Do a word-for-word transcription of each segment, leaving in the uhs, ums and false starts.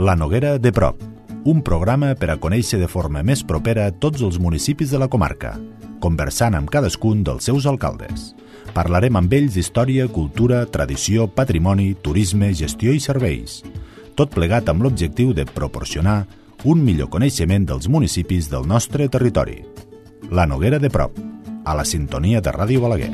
La Noguera de prop, un programa per a conèixer de forma més propera tots els municipis de la comarca, conversant amb cadascun dels seus alcaldes. Parlarem amb ells d'història, cultura, tradició, patrimoni, turisme, gestió i serveis. Tot plegat amb l'objectiu de proporcionar un millor coneixement dels municipis del nostre territori. La Noguera de prop, a la sintonia de Ràdio Balaguer.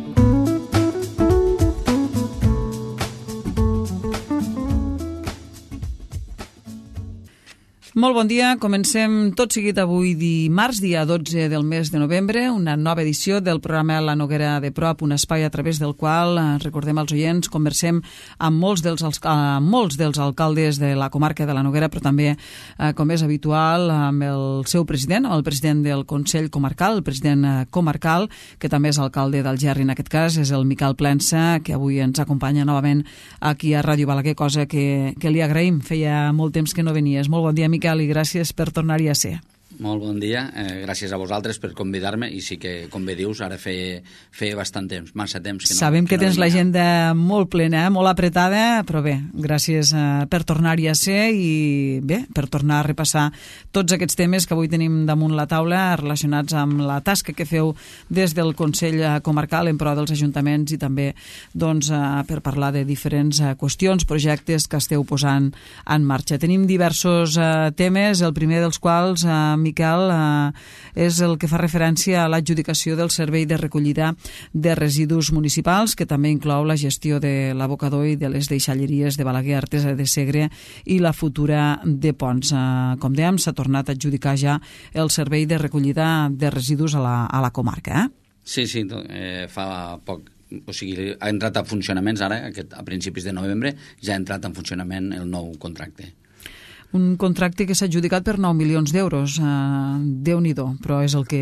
Molt bon dia, comencem tot seguit avui dimarts, dia dotze del mes de novembre, una nova edició del programa La Noguera de prop, un espai a través del qual, recordem als oients, conversem amb molts dels, amb molts dels alcaldes de la comarca de la Noguera, però també, eh, com és habitual, amb el seu president, el president del Consell Comarcal, el president comarcal, que també és alcalde d'Algerri, en aquest cas, és el Miquel Plensa, que avui ens acompanya novament aquí a Ràdio Balaguer, cosa que, que li agraïm, feia molt temps que no venies. Molt bon dia, Miquel, i gràcies per tornar-hi a ser. Molt bon dia, eh, gràcies a vosaltres per convidar-me, i sí que, com bé dius, ara feia, feia bastant temps, massa temps que no. Sabem que, que no tens l'agenda molt plena, eh? Molt apretada, però bé, gràcies eh, per tornar-hi a ser i bé, per tornar a repassar tots aquests temes que avui tenim damunt la taula relacionats amb la tasca que feu des del Consell Comarcal en pro dels ajuntaments i també doncs, eh, per parlar de diferents eh, qüestions, projectes que esteu posant en marxa. Tenim diversos eh, temes, el primer dels quals eh, Miquel, eh, és el que fa referència a l'adjudicació del servei de recollida de residus municipals, que també inclou la gestió de l'abocador i de les deixalleries de Balaguer, Artesa de Segre i la futura de Ponts. Eh, com dèiem, s'ha tornat a adjudicar ja el servei de recollida de residus a la, a la comarca. Eh? Sí, sí, eh, fa poc. O sigui, ha entrat a funcionaments ara, aquest, a principis de novembre, ja ha entrat en funcionament el nou contracte. Un contracte que s'ha adjudicat per nou milions d'euros. Uh, Déu-n'hi-do, però és el, que,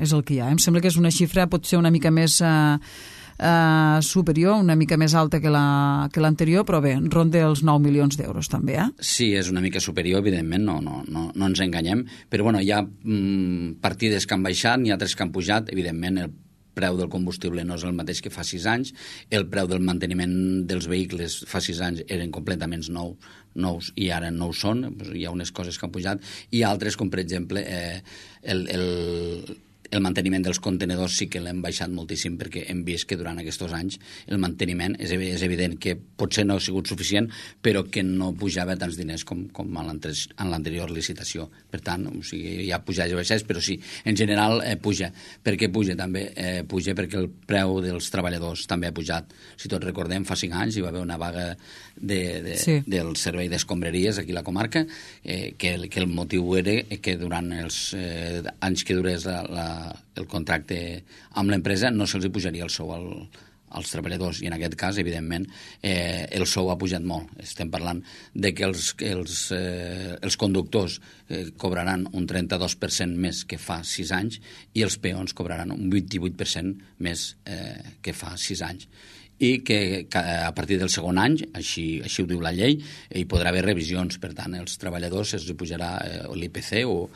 és el que hi ha. Em sembla que és una xifra, pot ser una mica més uh, uh, superior, una mica més alta que la, que l'anterior, però bé, ronda els nou milions d'euros també, eh? Sí, és una mica superior, evidentment, no, no, no, no ens enganyem, però bueno, hi ha mm, partides que han baixat, n'hi ha altres que han pujat, evidentment el preu del combustible no és el mateix que fa sis anys, el preu del manteniment dels vehicles fa sis anys eren completament nous, nous i ara no ho són, hi ha unes coses que han pujat, i altres, com per exemple eh, el, el, el manteniment dels contenidors sí que l'hem baixat moltíssim, perquè hem vist que durant aquests anys el manteniment és, és evident que potser no ha sigut suficient, però que no pujava tants diners com, com en l'anterior licitació. Per tant, o sigui, hi ha pujades i baixades, però sí, en general eh, puja. Per què puja també? Eh, puja perquè el preu dels treballadors també ha pujat. Si tots recordem, fa cinc anys hi va haver una vaga de, de, sí. del servei d'escombraries aquí a la comarca, eh, que, que el motiu era que durant els eh, anys que durés la, la el contracte amb l'empresa no se'ls pujaria el sou al, als treballadors, i en aquest cas, evidentment, eh, el sou ha pujat molt. Estem parlant de que els, els, eh, els conductors eh, cobraran un trenta-dos per cent més que fa sis anys i els peons cobraran un vint-i-vuit per cent més eh, que fa sis anys. I que, que a partir del segon any, així, així ho diu la llei, hi podrà haver revisions. Per tant, els treballadors se'ls pujarà eh, l'I P C o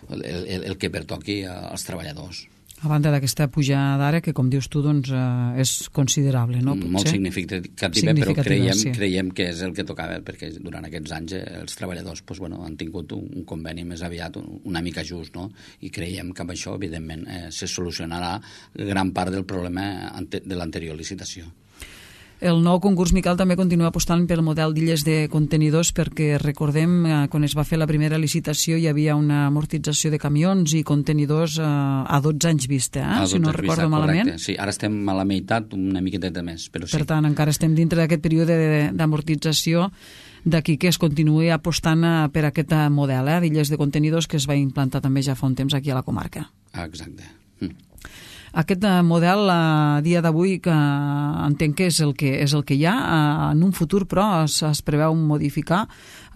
el, el, el que pertoqui als treballadors. A banda d'aquesta pujada d'ara, que com dius tu, doncs, eh, és considerable, no? Potser? Molt significativa, significativa, però creiem, sí. creiem que és el que tocava, perquè durant aquests anys eh, els treballadors pues, bueno, han tingut un, un conveni més aviat, un, una mica just, no? I creiem que amb això, evidentment, eh, se solucionarà gran part del problema ante, de l'anterior licitació. El nou concurs, Miquel, també continua apostant pel model d'illes de contenidors, perquè recordem, eh, quan es va fer la primera licitació hi havia una amortització de camions i contenidors eh, a dotze anys vista, eh? Si no recordo malament. Correcte. Sí, ara estem a la meitat, una miqueta de més, però sí. Per tant, encara estem dintre d'aquest període d'amortització, d'aquí que es continuï apostant per aquest model eh, d'illes de contenidors que es va implantar també ja fa un temps aquí a la comarca. Exacte. Mm. Aquest model a dia d'avui, que entenc que és el que, és el que hi ha, en un futur però es, es preveu modificar,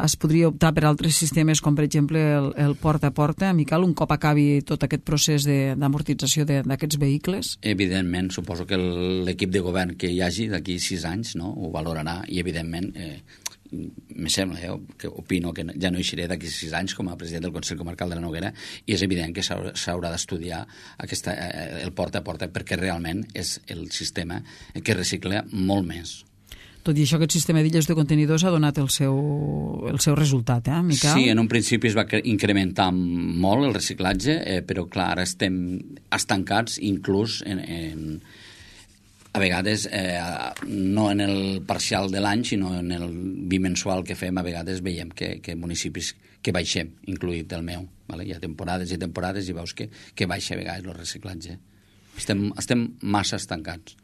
es podria optar per altres sistemes com per exemple el, el porta a porta, Miquel, un cop acabi tot aquest procés d'amortització d'aquests vehicles? Evidentment, suposo que l'equip de govern que hi hagi d'aquí sis anys, no, ho valorarà, i evidentment eh, me sembla, eh, que opino que ja no eixiré d'aquí sis anys com a president del Consell Comarcal de la Noguera, i és evident que s'haurà d'estudiar aquesta, eh, el porta a porta, perquè realment és el sistema que recicla molt més. Tot i això, aquest sistema d'illes de contenidors ha donat el seu, el seu resultat, eh, Miquel? Sí, en un principi es va incrementar molt el reciclatge, eh, però clar, ara estem estancats inclús en, en a vegades, eh, no en el parcial de l'any, sinó en el bimensual que fem, a vegades veiem que, que municipis que baixem, incluït el meu. Vale? Hi ha temporades i temporades i veus que, que baixa a vegades el reciclatge. Estem, estem massa estancats.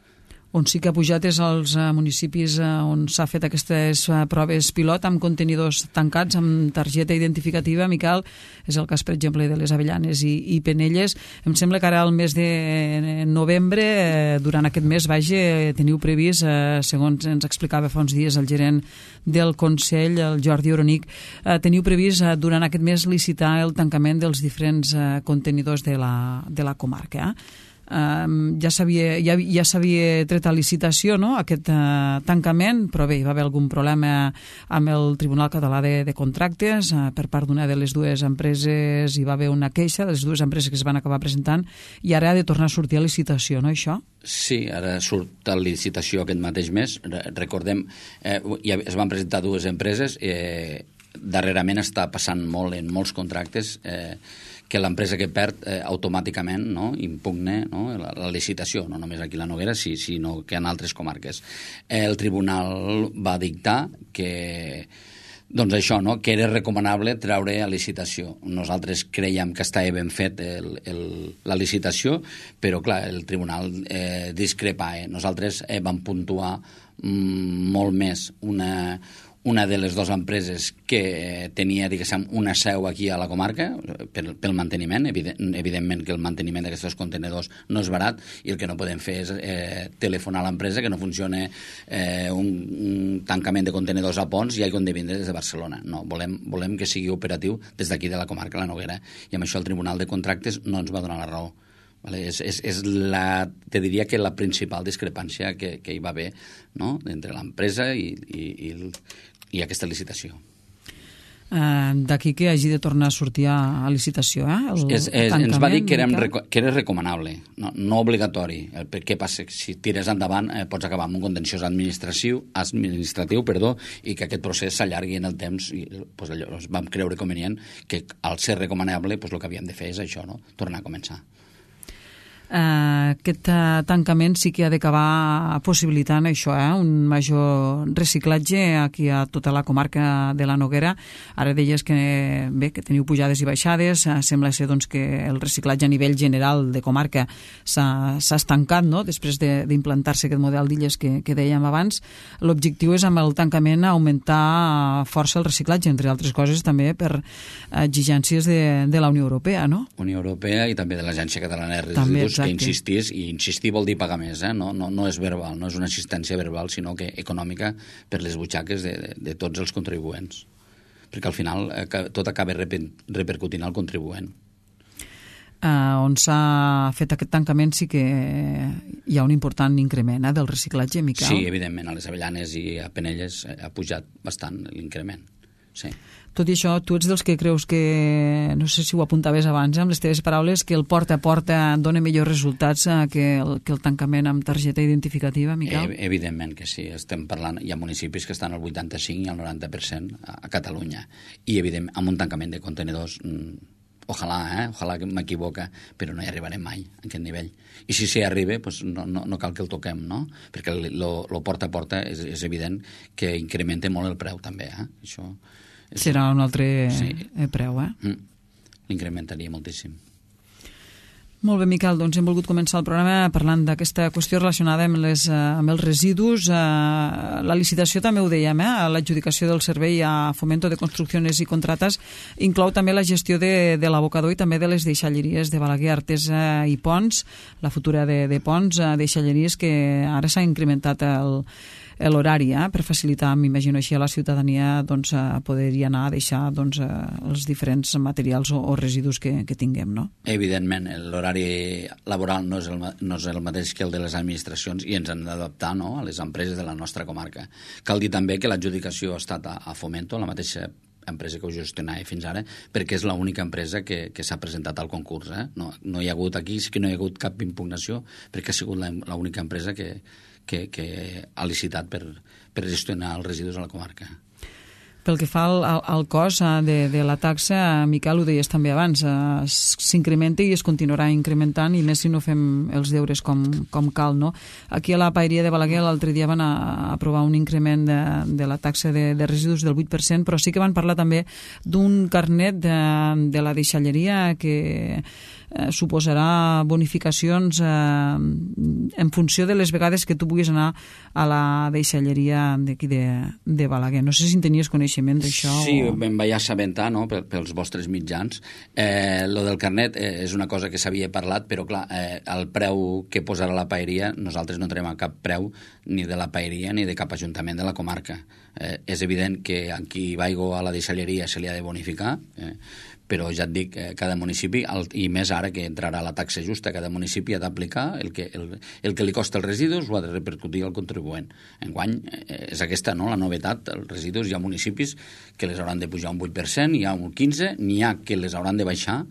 On sí que ha pujat és als uh, municipis uh, on s'ha fet aquestes uh, proves pilot amb contenidors tancats, amb targeta identificativa, Miquel, és el cas, per exemple, de les Avellanes i, i Penelles. Em sembla que ara al mes de novembre, eh, durant aquest mes, vaja, teniu previst, eh, segons ens explicava fa uns dies el gerent del Consell, el Jordi Oronic, eh, teniu previst eh, durant aquest mes licitar el tancament dels diferents eh, contenidors de la, de la comarca, eh? Uh, ja s'havia ja, ja s'havia tret a licitació, no?, aquest uh, tancament, però bé, hi va haver algun problema amb el Tribunal Català de, de Contractes uh, per part d'una de les dues empreses. Hi va haver una queixa de les dues empreses que es van acabar presentant i ara ha de tornar a sortir a licitació, no, això? Sí, ara surt a licitació aquest mateix mes. Recordem, eh, ja es van presentar dues empreses, eh, darrerament està passant molt en molts contractes, eh, que l'empresa que perd eh, automàticament, no, impugne, no, la, la licitació, no només aquí a la Noguera, sí, sinó que en altres comarques. Eh, el tribunal va dictar que, doncs això, no, que era recomanable treure a licitació. Nosaltres creiem que estava ben fet el, el, la licitació, però clar, el tribunal eh, discrepa. Eh. Nosaltres eh, vam puntuar mm, molt més una... una de les dues empreses que tenia, diguéssim, una seu aquí a la comarca pel, pel manteniment. Evident, evidentment que el manteniment d'aquests contenidors no és barat i el que no podem fer és eh, telefonar a l'empresa que no funciona eh, un, un tancament de contenidors a Pons i hagi de vindre des de Barcelona. No, volem, volem que sigui operatiu des d'aquí de la comarca, la Noguera, i amb això el Tribunal de Contractes no ens va donar la raó. Vale, és, és, és la, te diria que la principal discrepància que, que hi va haver, no?, entre l'empresa i, i, i, el, i aquesta licitació. Uh, D'aquí que hagi de tornar a sortir a, a licitació, eh? El és, és, ens va dir que, érem, que era recomanable, no, no obligatori. El, què passa? Si tires endavant eh, pots acabar amb un contenciós administratiu, administratiu perdó, i que aquest procés s'allargui en el temps. I, pues, allò, vam creure convenient que al ser recomanable pues, el que havíem de fer és això, no? Tornar a començar. Uh, aquest uh, tancament sí que ha d'acabar possibilitant això, eh? Un major reciclatge aquí a tota la comarca de la Noguera. Ara deies que, bé, que teniu pujades i baixades, uh, sembla ser doncs, que el reciclatge a nivell general de comarca s'ha estancat, no?, després d'implantar-se aquest model d'illes que, que dèiem abans. L'objectiu és amb el tancament augmentar força el reciclatge, entre altres coses també per exigències de, de la Unió Europea, no? Unió Europea i també de l'Agència Catalana de Residus, que insistís, i insistir vol dir pagar més, eh? no, no, no és verbal, no és una assistència verbal, sinó que econòmica per les butxaques de, de, de tots els contribuents. Perquè al final eh, tot acaba reper, repercutint al contribuent. Uh, on s'ha fet aquest tancament sí que hi ha un important increment eh, del reciclatge, Miquel? Sí, evidentment, a les Avellanes i a Penelles ha pujat bastant l'increment, sí. Tot i això, tu ets dels que creus que, no sé si ho apuntaves abans, eh, amb les teves paraules, que el porta a porta dona millors resultats eh, que, el, que el tancament amb targeta identificativa, Miquel? Eh, evidentment que sí. Estem parlant, hi ha municipis que estan al vuitanta-cinc i al noranta per cent a, a Catalunya. I, evidentment, amb un tancament de contenidors, mm, ojalà, eh? Ojalà que m'equivoca, però no hi arribarem mai a aquest nivell. I si s'hi arriba, pues no, no, no cal que el toquem, no? Perquè el porta a porta és, és evident que incrementa molt el preu, també, eh? Això... Serà un altre sí. preu, eh? Mm. L'incrementaria moltíssim. Molt bé, Miquel, doncs hem volgut començar el programa parlant d'aquesta qüestió relacionada amb, les, amb els residus. La licitació també ho dèiem, eh? L'adjudicació del servei a Fomento de Construcciones i Contratas inclou també la gestió de, de l'abocador i també de les deixalleries de Balaguer, Artesa i Pons, la futura de, de Pons, deixalleries que ara s'ha incrementat el l'horari, eh, per facilitar, m'imagino així, a la ciutadania doncs, a poder-hi anar a deixar doncs, els diferents materials o, o residus que, que tinguem, no? Evidentment, l'horari laboral no és, el, no és el mateix que el de les administracions i ens hem d'adaptar, no?, a les empreses de la nostra comarca. Cal dir també que l'adjudicació ha estat a, a Fomento, la mateixa empresa que ho gestionava fins ara, perquè és l'única empresa que, que s'ha presentat al concurs. Eh? No, no hi ha hagut aquí, sí que no hi ha hagut cap impugnació, perquè ha sigut l'única empresa que, que, que ha licitat per, per gestionar els residus a la comarca. Pel que fa al, al cost de, de la taxa, Miquel, ho deies també abans, s'incrementa i es continuarà incrementant, i més si no fem els deures com, com cal, no? Aquí a la Paeria de Balaguer l'altre dia van a, a aprovar un increment de, de la taxa de, de residus del vuit per cent, però sí que van parlar també d'un carnet de, de la deixalleria que eh, suposarà bonificacions eh, en funció de les vegades que tu puguis anar a la deixalleria d'aquí de, de Balaguer. No sé si en tenies coneixement d'això. Sí, o... em vaig assabentar, no?, pels vostres mitjans. Eh, lo del carnet eh, és una cosa que s'havia parlat, però clar, eh, el preu que posarà la paeria, nosaltres no tenim cap preu ni de la paeria ni de cap ajuntament de la comarca. Eh, és evident que a qui vaigo a la deixalleria se li ha de bonificar, eh, però ja et dic, eh, cada municipi, el, i més ara que entrarà la taxa justa, cada municipi ha d'aplicar el que, el, el que li costa els residus, ho ha de repercutir al contribuent. Enguany eh, és aquesta, no?, la novetat. Els residus, hi ha municipis que les hauran de pujar un vuit per cent, hi ha un quinze per cent, n'hi ha que les hauran de baixar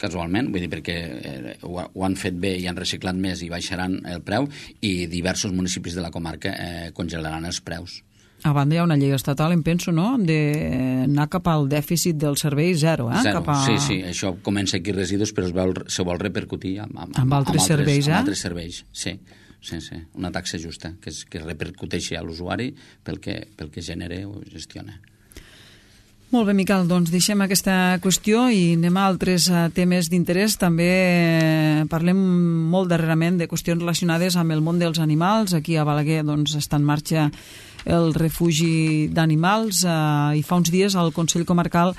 casualment, vull dir, perquè eh, ho, ho han fet bé i han reciclat més i baixaran el preu, i diversos municipis de la comarca eh, congelaran els preus. A banda hi ha una llei estatal, em penso, no?, d'anar cap al dèficit del servei zero, eh? Zero, cap a... sí, sí, això comença aquí residus, però es, veu, se vol repercutir amb, amb, amb altres amb serveis, altres, eh? amb altres serveis, sí, sí, sí, una taxa justa, que, es, que repercuteixi a l'usuari pel que, pel que genera o gestiona. Molt bé, Miquel, doncs deixem aquesta qüestió i anem a altres temes d'interès. També parlem molt darrerament de qüestions relacionades amb el món dels animals. Aquí a Balaguer doncs, està en marxa el refugi d'animals eh, i fa uns dies el Consell Comarcal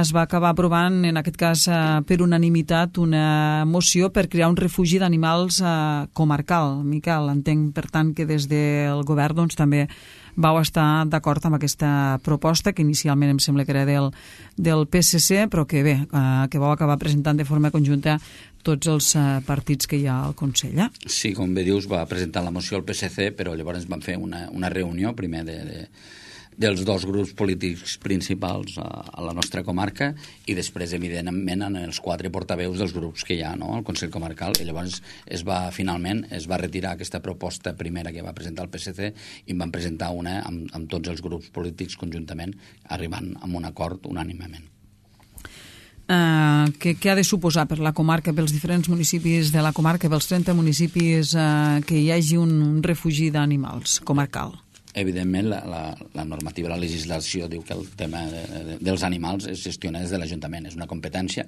es va acabar aprovant, en aquest cas eh, per unanimitat, una moció per crear un refugi d'animals eh, comarcal. Miquel, entenc, per tant, que des del govern doncs, també vau estar d'acord amb aquesta proposta, que inicialment em sembla que era del, del P S C, però que bé, eh, que vau acabar presentant de forma conjunta tots els eh, partits que hi ha al Consell. Eh? Sí, com bé dius, va presentar la moció al P S C, però llavors vam fer una, una reunió primer de, de, dels dos grups polítics principals a, a la nostra comarca, i després, evidentment, en els quatre portaveus dels grups que hi ha, no?, al Consell Comarcal. I llavors es va, finalment, es va retirar aquesta proposta primera que va presentar el P S C i en van presentar una amb, amb tots els grups polítics conjuntament, arribant a un acord unànimement. Uh, què, què ha de suposar per la comarca, pels diferents municipis de la comarca, pels trenta municipis, uh, que hi hagi un, un refugi d'animals comarcal? Evidentment, la, la, la normativa, la legislació diu que el tema de, de, dels animals es gestiona des de l'Ajuntament. És una competència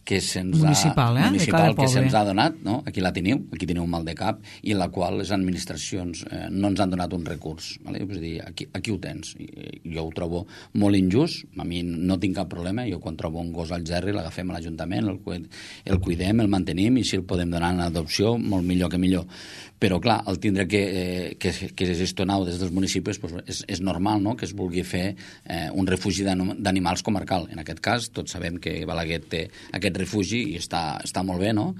que se'ns municipal, ha, eh? municipal que se'ns ha donat, no? Aquí la teniu, aquí teniu un mal de cap, i en la qual les administracions eh, no ens han donat un recurs. Vale? És a dir, aquí, aquí ho tens. I, jo ho trobo molt injust, a mi no tinc cap problema, jo quan trobo un gos al gerri l'agafem a l'Ajuntament, el, el cuidem, el mantenim, i si el podem donar en adopció, molt millor que millor. Però, clar, el tindre que, eh, que, que gestionar des dels municipis pues, és, és normal, no?, que es vulgui fer eh, un refugi d'animals comarcal. En aquest cas, tots sabem que Balaguer té aquest refugi i està, està molt bé, no?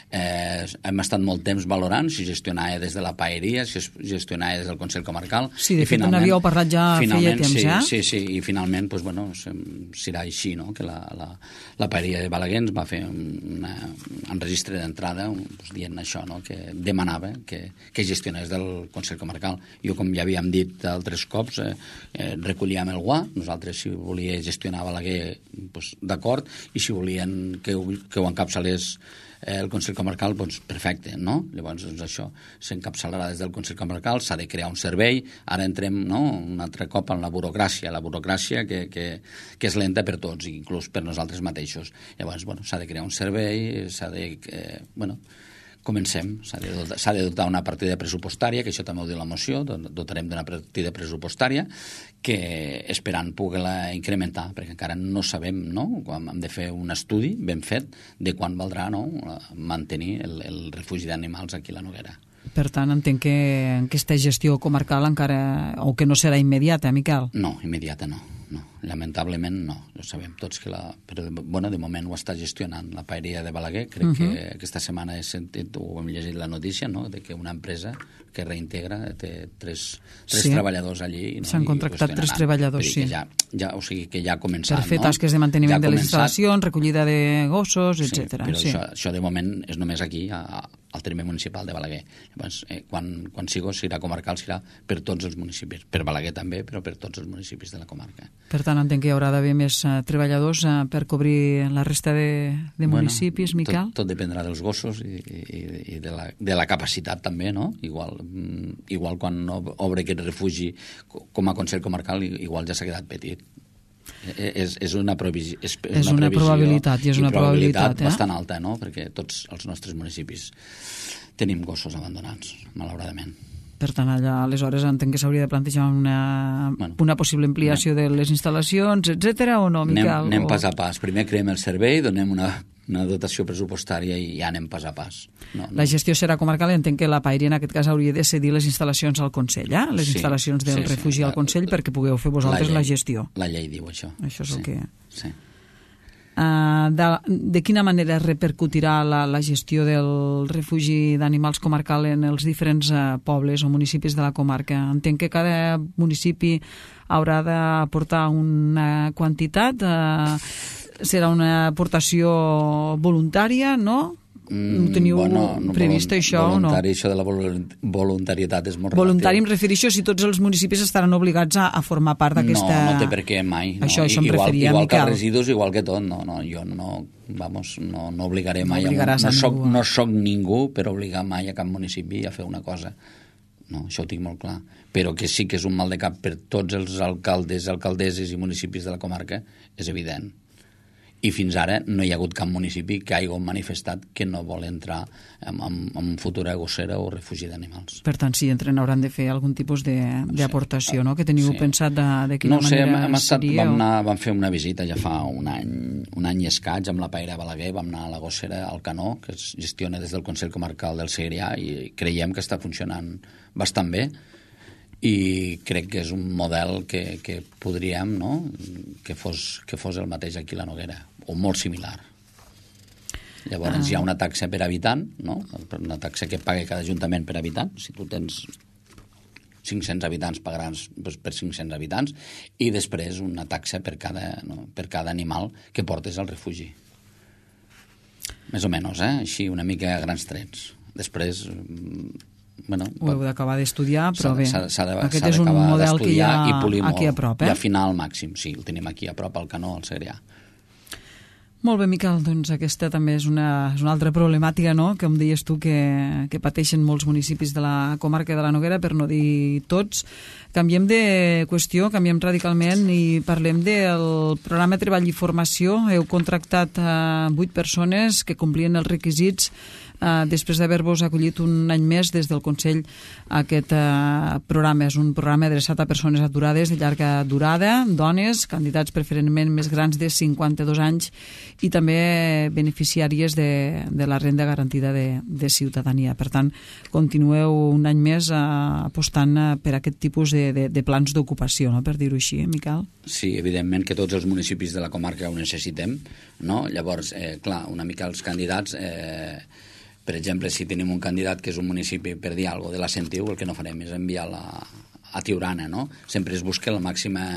Eh, hem estat molt temps valorant si gestionava des de la paeria, si gestionava des del Consell Comarcal. Sí, de fet, n'havíeu parlat ja feia temps, sí, ja? Sí, sí, i finalment, pues, bueno, serà així, no?, que la, la, la paeria de Balaguer ens va fer una, un registre d'entrada pues, dient això, no?, que demanava que que gestionés del Consell Comarcal. Jo, com ja havíem dit altres cops, eh, eh, recollíem el guà, nosaltres si volia gestionar Balaguer, pues, d'acord, i si volien que ho, que ho encapçalés eh, el Consell Comarcal, doncs perfecte, no? Llavors, doncs, això s'encapçalarà des del Consell Comarcal, s'ha de crear un servei, ara entrem, no?, un altre cop en la burocràcia, la burocràcia que, que, que és lenta per tots, inclús per nosaltres mateixos. Llavors, bueno, s'ha de crear un servei, s'ha de... Eh, bueno, comencem, s'ha de, dotar, de dotar una partida pressupostària, que això també ho diu la moció, dotarem d'una partida pressupostària que esperant poder-la incrementar, perquè encara no sabem, no?, hem de fer un estudi ben fet de quan valdrà, no?, mantenir el, el refugi d'animals aquí a la Noguera. Per tant, entenc que aquesta gestió comarcal encara, o que no serà immediata, Miquel? No, immediata no, no. Lamentablement no, ho sabem tots que la... Però, bueno, de moment ho està gestionant la paeria de Balaguer, crec uh -huh. que aquesta setmana he sentit, o hem llegit la notícia, no?, de que una empresa que reintegra té tres, tres sí. treballadors allí. No? S'han contractat tres treballadors, sí. Ja, ja, o sigui que ja ha començat, per fer no? tasques de manteniment ja de les instal·lacions, recollida de gossos, sí, etcètera. Però sí. això, això de moment és només aquí, a, al terme municipal de Balaguer. Llavors, eh, quan, quan sigo, serà comarcal, serà per tots els municipis, per Balaguer també, però per tots els municipis de la comarca. Per tant, entenc que hi haurà d'haver més uh, treballadors uh, per cobrir la resta de, de bueno, municipis, Miquel? Tot, tot dependrà dels gossos i, i, i de, la, de la capacitat també, no? Igual, igual quan obre aquest refugi com a Consell Comarcal, igual ja s'ha quedat petit. És, és una, previsió, és, és és una, una probabilitat i és una probabilitat, probabilitat eh? bastant alta, no? Perquè tots els nostres municipis tenim gossos abandonats, malauradament. Per tant, allà, aleshores, entenc que s'hauria de plantejar una, bueno, una possible ampliació anem, de les instal·lacions, etcètera, o no, Miquel? Anem, anem o... pas a pas. Primer creem el servei, donem una, una dotació pressupostària i ja anem pas a pas. No, no. La gestió serà comarcal, entenc que la Pairi en aquest cas hauria de cedir les instal·lacions al Consell, eh? Les sí, instal·lacions del sí, refugi sí, al Consell, la, perquè pugueu fer vosaltres la, llei, la gestió. La llei diu això. Això és sí, el que... Sí. Uh, de, de quina manera repercutirà la, la gestió del refugi d'animals comarcal en els diferents uh, pobles o municipis de la comarca? Entenc que cada municipi haurà d'aportar una quantitat, uh, serà una aportació voluntària, no? Mm, teniu bueno, no, previst això o no? Això de la voluntarietat és molt voluntari relatiu. Em refereixo si tots els municipis estaran obligats a, a formar part d'aquesta... No, no té per què mai. No. Això, això em igual, referia, igual Miquel. que els residus, igual que tot. No, no, jo no, vamos, no, no obligaré mai. No, a, no, soc, no soc ningú per obligar mai a cap municipi a fer una cosa. No, això ho tinc molt clar. Però que sí que és un mal de cap per tots els alcaldes, alcaldesses i municipis de la comarca, és evident. I fins ara no hi ha hagut cap municipi que hagi manifestat que no vol entrar en, en, en futura gossera o refugi d'animals. Per tant, si entren hauran de fer algun tipus d'aportació, no? Que teniu sí. pensat de, de quina no, manera sé, hem estat, seria? Vam, o... anar, vam fer una visita ja fa un any, un any i escaig amb la Paire Balaguer, vam anar a la gossera al Canó, que es gestiona des del Consell Comarcal del Segrià, i creiem que està funcionant bastant bé, i crec que és un model que, que podríem, no?, que fos, que fos el mateix aquí a la Noguera, o molt similar. Llavors ah. hi ha una taxa per habitant, no?, una taxa que paga cada ajuntament per habitant. Si tu tens cinc-cents habitants, pagaràs per cinc-cents habitants, i després una taxa per cada, no, per cada animal que portes al refugi. Més o menys, eh? Així, una mica a grans trets. Després... Bueno, ho heu d'acabar d'estudiar, però bé, s'ha, s'ha de, aquest s'ha és un model que hi ha aquí a prop, eh? I afinar al màxim, sí, el tenim aquí a prop, al Canó, al Segrià. Molt bé, Miquel, doncs aquesta també és una, és una altra problemàtica, no?, que em deies tu que, que pateixen molts municipis de la comarca de la Noguera, per no dir tots. Canviem de qüestió, canviem radicalment i parlem del programa Treball i Formació. Heu contractat a vuit persones que complien els requisits Uh, després d'haver-vos acollit un any més des del Consell aquest uh, programa. És un programa adreçat a persones aturades de llarga durada, dones, candidats preferentment més grans de cinquanta-dos anys i també beneficiàries de, de la renda garantida de, de ciutadania. Per tant, continueu un any més uh, apostant uh, per aquest tipus de, de, de plans d'ocupació, no?, per dir-ho així, eh, Miquel? Sí, evidentment que tots els municipis de la comarca ho necessitem, no? Llavors, eh, clar, una mica els candidats... Eh, Per exemple, si tenim un candidat que és un municipi, per dir alguna cosa, de la Sentiu, el que no farem és enviar-la a Tiurana, no? Sempre es busca la màxima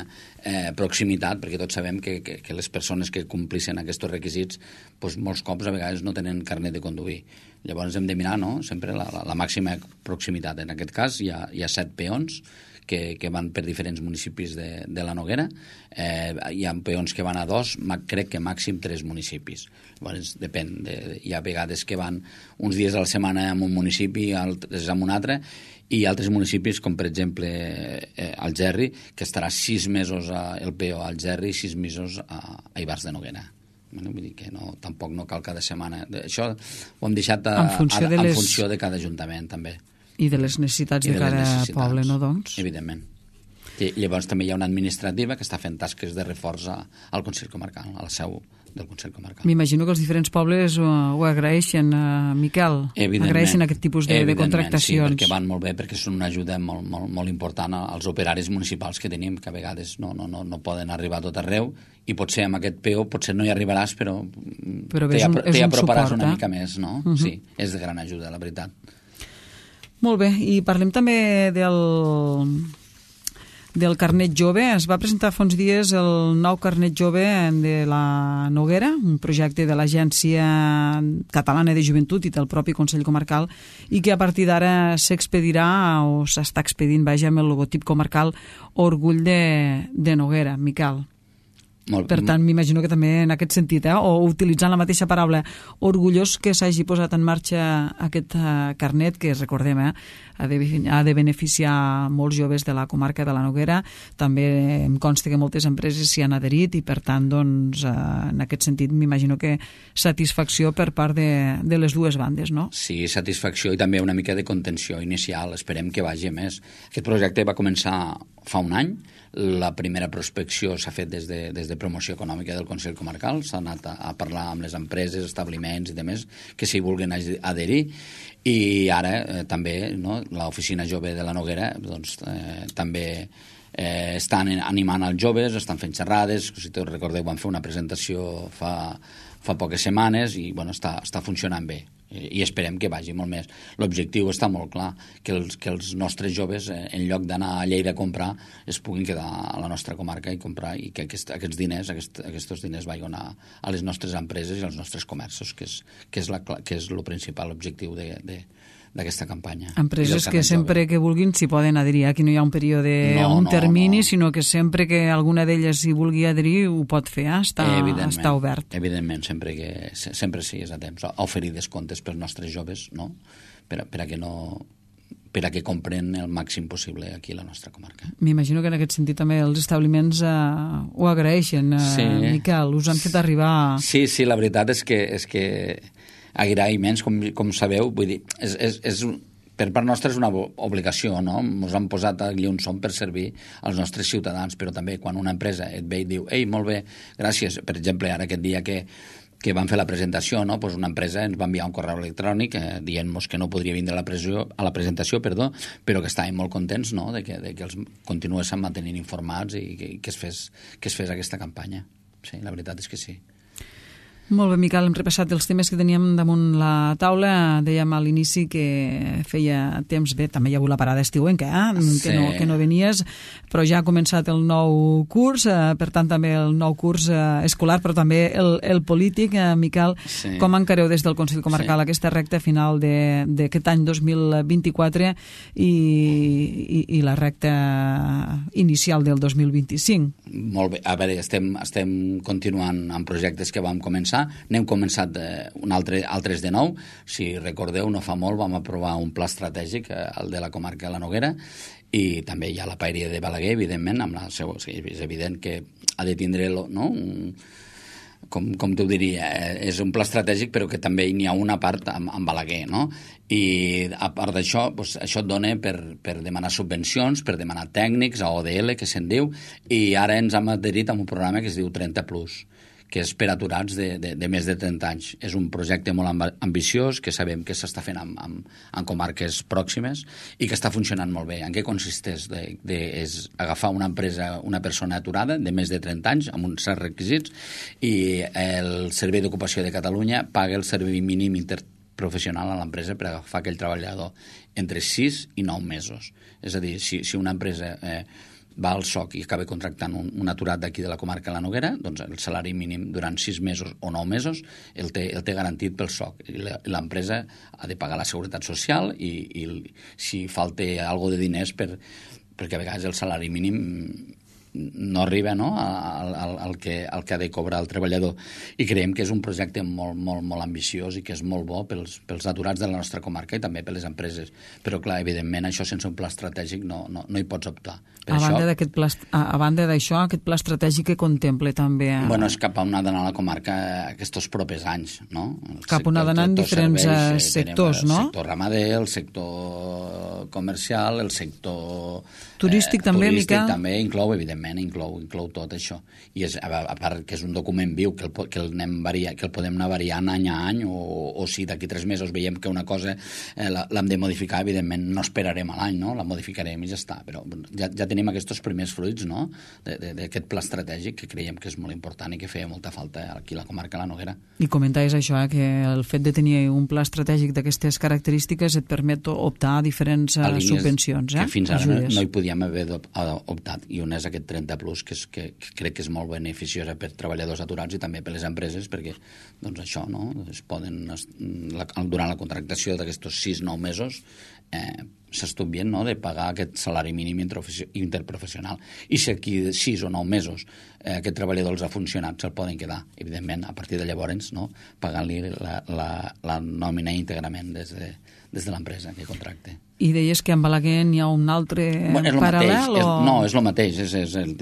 eh, proximitat, perquè tots sabem que, que, que les persones que complissin aquests requisits, doncs molts cops a vegades no tenen carnet de conduir. Llavors hem de mirar, no?, sempre la, la, la màxima proximitat. En aquest cas hi ha, hi ha set peons que, que van per diferents municipis de, de la Noguera. Eh, hi ha peons que van a dos, crec que màxim tres municipis. Llavors, depèn. De, hi ha vegades que van uns dies a la setmana en un municipi, altres en un altre, i altres municipis, com per exemple eh, Algerri, que estarà sis mesos a, el peó a Algerri i sis mesos a, a Ivars de Noguera. Bueno, vull dir que no, tampoc no cal cada setmana. Això ho hem deixat a, en, funció a, de les... en funció de cada ajuntament, també. I de les necessitats de, de cada necessitats, poble, no, doncs? Evidentment. I llavors també hi ha una administrativa que està fent tasques de reforç a, al Consell Comarcal, a la seu del Consell Comarcal. M'imagino que els diferents pobles ho, ho agraeixen, uh, Miquel. Agraeixen aquest tipus de, de contractacions. Sí, perquè van molt bé, perquè són una ajuda molt, molt, molt important als operaris municipals que tenim, que a vegades no, no, no, no poden arribar a tot arreu, i potser amb aquest P O potser no hi arribaràs, però, però t'hi aproparàs suport, una eh? mica més, no? Uh-huh. Sí, és de gran ajuda, la veritat. Molt bé, i parlem també del, del carnet jove. Es va presentar fa uns dies el nou carnet jove de la Noguera, un projecte de l'Agència Catalana de Joventut i del propi Consell Comarcal, i que a partir d'ara s'expedirà o s'està expedint, vaja, amb el logotip comarcal Orgull de, de Noguera. Miquel. Molt, per tant, m'imagino que també en aquest sentit, eh, o utilitzant la mateixa paraula, orgullós que s'hagi posat en marxa aquest eh, carnet, que recordem, eh, ha, de, ha de beneficiar molts joves de la comarca de la Noguera. També em consta que moltes empreses s'hi han adherit i, per tant, doncs, eh, en aquest sentit, m'imagino que satisfacció per part de, de les dues bandes, no? Sí, satisfacció i també una mica de contenció inicial. Esperem que vagi més. Aquest projecte va començar fa un any. La primera prospecció s'ha fet des de, des de promoció econòmica del Consell Comarcal, s'ha anat a, a parlar amb les empreses, establiments i demés que s'hi vulguin adherir, i ara eh, també, no, l'Oficina Jove de la Noguera doncs, eh, també eh, estan animant els joves, estan fent xerrades, si te recordeu van fer una presentació fa, fa poques setmanes i bueno, està, està funcionant bé. I esperem que vagi molt més. L'objectiu està molt clar, que els, que els nostres joves, eh, en lloc d'anar a Lleida a comprar, es puguin quedar a la nostra comarca i comprar, i que aquest, aquests diners, aquest, aquests diners vagin a, a les nostres empreses i als nostres comerços, que és, que és, la, que és el principal objectiu de, de, d'aquesta campanya. Empreses que sempre jove. que vulguin s'hi poden adherir. Aquí no hi ha un període o no, un no, termini, no. sinó que sempre que alguna d'elles s'hi vulgui adherir ho pot fer, eh? està, està obert. Evidentment, sempre que sempre sí, és a temps. A oferir descomptes pels nostres joves, no? Per, per a que no per a que compren el màxim possible aquí a la nostra comarca. M'imagino que en aquest sentit també els establiments eh, ho agraeixen, eh, sí. Miquel, us han fet arribar... Sí, sí, la veritat és que, és que agraïments, com, com sabeu, vull dir, és, és, és, per part nostra és una obligació, no? Ens han posat allí on som per servir als nostres ciutadans, però també quan una empresa et ve i diu, ei, molt bé, gràcies, per exemple, ara aquest dia que que van fer la presentació, no? Pues una empresa ens va enviar un correu electrònic eh, dient-nos que no podria vindre a la, pressió, a la presentació, perdó, però que estàvem molt contents, no? de, que, de que els continuessin mantenint informats i que, que, es fes, que es fes aquesta campanya. Sí, la veritat és que sí. Molt bé, Miquel, hem repassat els temes que teníem damunt la taula. Dèiem a l'inici que feia temps, bé, també hi ha hagut la parada estiuenca, eh? Sí. que, no, que no venies, però ja ha començat el nou curs, eh, per tant també el nou curs eh, escolar, però també el, el polític. Eh, Miquel, sí. Com encareu des del Consell Comarcal sí. aquesta recta final d'aquest any dos mil vint-i-quatre i, i, i la recta inicial del dos mil vint-i-cinc? Molt bé, a veure, estem, estem continuant amb projectes que vam començar. N'hem començat eh, un altre, altres de nou. Si recordeu, no fa molt vam aprovar un pla estratègic, eh, el de la comarca de la Noguera, i també hi ha la Paeria de Balaguer, evidentment, amb la seva, és evident que ha de tindre, no, un, com, com t'ho diria, eh, és un pla estratègic, però que també n'hi ha una part amb, amb Balaguer, no? I a part d'això, doncs, això et dona per, per demanar subvencions, per demanar tècnics, a O D L, que se'n diu, i ara ens hem adherit a un programa que es diu trenta plus, que és per aturats de, de, de més de trenta anys. És un projecte molt ambiciós, que sabem que s'està fent en, en, en comarques pròximes i que està funcionant molt bé. En què consisteix? De, de, és agafar una empresa, una persona aturada de més de trenta anys, amb uns certs requisits, i el Servei d'Ocupació de Catalunya paga el servei mínim interprofessional a l'empresa per agafar aquell treballador entre sis i nou mesos. És a dir, si, si una empresa... Eh, va al S O C i acaba contractant un, un aturat d'aquí de la comarca de la Noguera, doncs el salari mínim durant sis mesos o nou mesos el té, el té garantit pel S O C. I l'empresa ha de pagar la seguretat social i, i si falta algo de diners per, perquè a vegades el salari mínim no arriba, no, al, al, al, que, al que ha de cobrar el treballador. I creiem que és un projecte molt, molt, molt ambiciós i que és molt bo pels, pels aturats de la nostra comarca i també per les empreses. Però, clar, evidentment, això sense un pla estratègic no, no, no hi pots optar. Per a, això, banda d'aquest pla, a, a banda d'això, aquest pla estratègic que contempla també... A... Bueno, és cap a on ha d'anar la comarca aquests propers anys, no? El cap on ha d'anar en diferents serveis, sectors, no? El sector ramader, el sector comercial, el sector... Turístic eh, també, turístic Miquel? també inclou, evidentment, evidentment, inclou, inclou tot això. I és, a part que és un document viu, que el, que el, anem varia, que el podem anar variant any a any, o, o si d'aquí tres mesos veiem que una cosa eh, l'hem de modificar, evidentment no esperarem a l'any, no? La modificarem i ja està. Però ja, ja tenim aquests primers fruits, no?, d'aquest pla estratègic que creiem que és molt important i que feia molta falta aquí a la comarca de la Noguera. I comentaves això, eh, que el fet de tenir un pla estratègic d'aquestes característiques et permet optar a diferents a subvencions, eh? Que fins ara no, no hi podíem haver optat, i un és aquest trenta plus, que, és, que, que crec que és molt beneficiosa per treballadors aturats i també per les empreses, perquè doncs això, no?, es poden, la, durant la contractació d'aquests sis nou mesos eh, s'estudien, no?, de pagar aquest salari mínim interprofessional. I si aquí sis o nou mesos eh, aquest treballador els ha funcionat, se'l poden quedar, evidentment, a partir de llavors, no?, pagant-li la, la, la nòmina íntegrament des de, des de l'empresa que contracte. I deies que en Balaguer hi ha un altre bueno, és paral·lel? Mateix, o... és, no, és el mateix, és, és el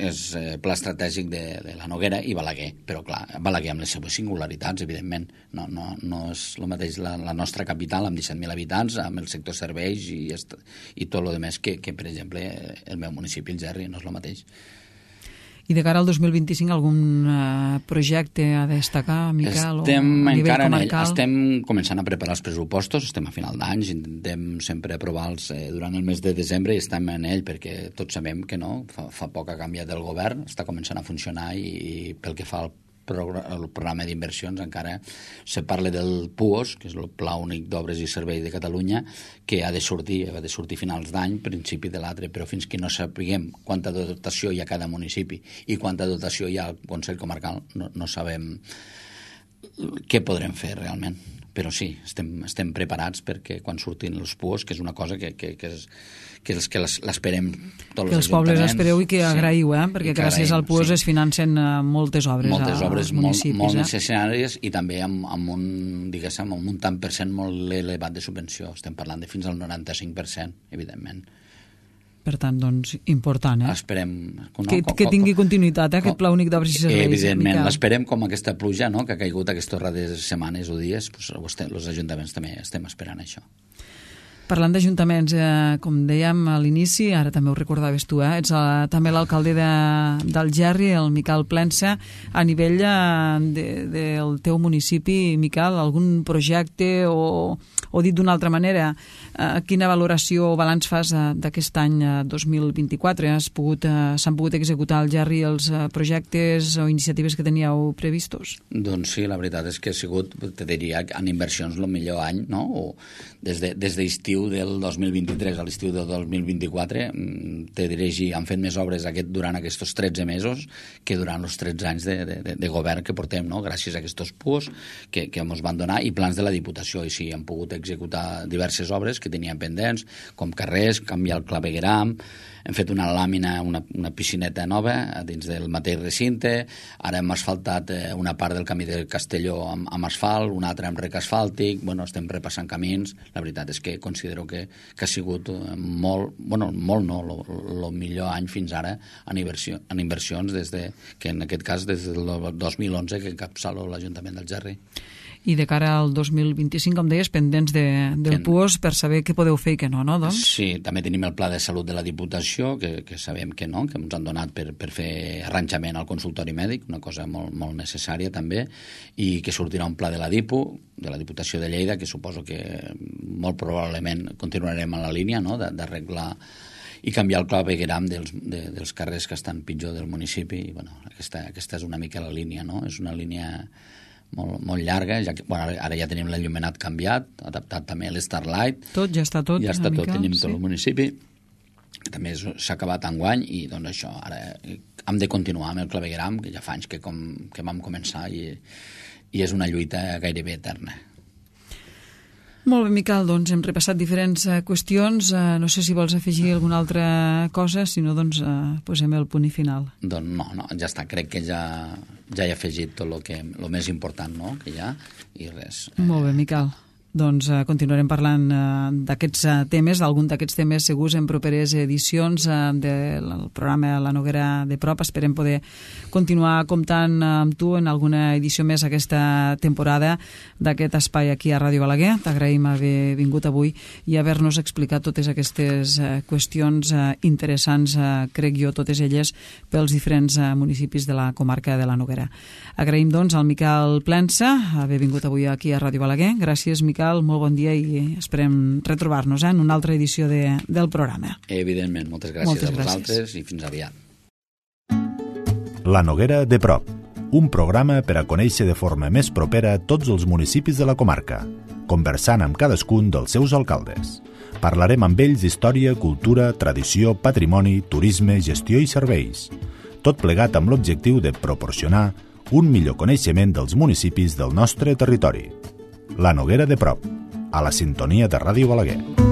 és pla estratègic de, de la Noguera i Balaguer, però clar, Balaguer amb les seves singularitats, evidentment, no, no, no és el mateix la, la nostra capital amb disset mil habitants, amb el sector serveis i, i tot el demés que, que, per exemple, el meu municipi, el Gerri, no és el mateix. I de cara al dos mil vint-i-cinc, algun uh, projecte a destacar, Miquel, estem o a nivell encara comarcal? En ell, estem començant a preparar els pressupostos, estem a final d'any, intentem sempre aprovar-los eh, durant el mes de desembre i estem en ell perquè tots sabem que no, fa, fa poc ha canviat el govern, està començant a funcionar i, i pel que fa al el programa d'inversions encara se parla del P U O S, que és el Pla Únic d'Obres i Serveis de Catalunya, que ha de sortir, ha de sortir finals d'any, principi de l'altre, però fins que no sapiguem quanta dotació hi ha a cada municipi i quanta dotació hi ha al Consell Comarcal, no, no sabem què podrem fer realment. Però sí, estem, estem preparats perquè quan surtin els P U O S, que és una cosa que, que, que és que és que l'esperem tots els que els pobles espereu i que agraïu, eh? Perquè sí, gràcies agraïm, al P U O S sí. es financen moltes obres moltes obres als municipis. Molt, molt eh? necessàries i també amb, amb, un, diguéssim, amb un tant per cent molt elevat de subvenció. Estem parlant de fins al noranta-cinc per cent, evidentment. Per tant, doncs, important, eh? Esperem... No, que, com, que tingui continuïtat, eh? Com, Aquest Pla Únic d'Obres i Serveis. Evidentment, l'esperem com aquesta pluja, no?, que ha caigut aquestes darreres setmanes o dies, doncs, els ajuntaments també estem esperant això. Parlant d'ajuntaments, eh, com dèiem a l'inici, ara també ho recordaves tu, eh, ets eh, també l'alcalde de, del Gerri, el Miquel Plensa. A nivell eh, de, del teu municipi, Miquel, algun projecte o, o dit d'una altra manera, eh, quina valoració o balanç fas eh, d'aquest any eh, dos mil vint-i-quatre? Has pogut, eh, s'han pogut executar al Gerri els eh, projectes o iniciatives que teníeu previstos? Doncs sí, la veritat és que ha sigut, te diria, en inversions el millor any, no?, o des de, des d'estiu del dos mil vint-i-tres a l'estiu del dos mil vint-i-quatre, te diré, han fet més obres aquest, durant aquests tretze mesos que durant els tretze anys de, de, de govern que portem, no?, gràcies a aquests P U O S que, que ens van donar i plans de la Diputació. I sí, han pogut executar diverses obres que tenien pendents, com carrers, canviar el clavegueram, hem fet una làmina, una, una piscineta nova dins del mateix recinte, ara hem asfaltat una part del camí de Castelló amb, amb asfalt, una altra amb rec asfàltic, bueno, estem repassant camins. La veritat és que considero que, que ha sigut molt, bueno, molt no, el millor any fins ara en, inversió, en inversions, des de, que en aquest cas des del dos mil onze que encapçalo l'Ajuntament del Gerri. I de cara al dos mil vint-i-cinc, com deies, pendents de, del P U O S per saber què podeu fer i què no, no? Doncs? Sí, també tenim el Pla de Salut de la Diputació, que, que sabem que no, que ens han donat per, per fer arranjament al consultori mèdic, una cosa molt, molt necessària també, i que sortirà un pla de la Dipu, de la Diputació de Lleida, que suposo que molt probablement continuarem en la línia, no?, d'arreglar i canviar el clavegueram dels, de, dels carrers que estan pitjor del municipi. I, bueno, aquesta, aquesta és una mica la línia, no? És una línia molt, molt llarga, ja que, bueno, ara ja tenim l'enllumenat canviat, adaptat també a l'Starlight. Tot, ja està tot. Ja està tot, mica, tenim sí. tot el municipi, que també s'ha acabat enguany, i doncs això, ara hem de continuar amb el clavegueram, que ja fa anys que, com, que vam començar, i, i és una lluita gairebé eterna. Molt bé, Miquel, doncs hem repassat diferents uh, qüestions. Uh, no sé si vols afegir alguna altra cosa, si no, doncs uh, posem el punt i final. Doncs no, no, ja està. Crec que ja, ja he afegit tot el que, lo més important, no?, que hi ha, i res. Molt bé, Miquel. doncs eh, continuarem parlant eh, d'aquests eh, temes, d'algun d'aquests temes segurs en properes edicions eh, del programa La Noguera de Prop. Esperem poder continuar comptant eh, amb tu en alguna edició més aquesta temporada d'aquest espai aquí a Ràdio Balaguer. T'agraïm haver vingut avui i haver-nos explicat totes aquestes eh, qüestions eh, interessants, eh, crec jo, totes elles pels diferents eh, municipis de la comarca de la Noguera. Agraïm doncs al Miquel Plensa haver vingut avui aquí a Ràdio Balaguer. Gràcies, Miquel. Molt bon dia i esperem retrobar-nos eh, en una altra edició de, del programa. Evidentment, moltes gràcies moltes a vosaltres gràcies. I fins aviat. La Noguera de Prop, un programa per a conèixer de forma més propera tots els municipis de la comarca, conversant amb cadascun dels seus alcaldes. Parlarem amb ells d'història, cultura, tradició, patrimoni, turisme, gestió i serveis. Tot plegat amb l'objectiu de proporcionar un millor coneixement dels municipis del nostre territori. La Noguera de Prop, a la sintonia de Ràdio Balaguer.